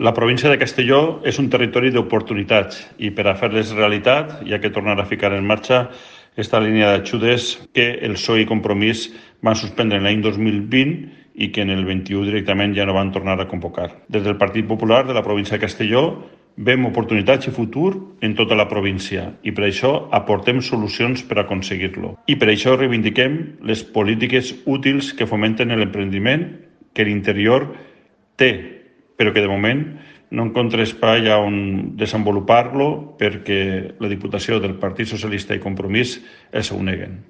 La província de Castelló és un territori d'oportunitats i per a fer-les realitat hi ha que tornar a ficar en marxa esta línia d'ajudes que el PSOE i Compromís van suspendre l'any 2020 i que en el 21 directament ja no van tornar a convocar. Des del Partit Popular de la província de Castelló veiem oportunitats i futur en tota la província i per això aportem solucions per aconseguir-lo. I per això reivindiquem les polítiques útils que fomenten l'emprendiment que l'interior té, però que de moment no encontra espai on desenvolupar-lo perquè la Diputació del Partit Socialista i Compromís es ho neguen.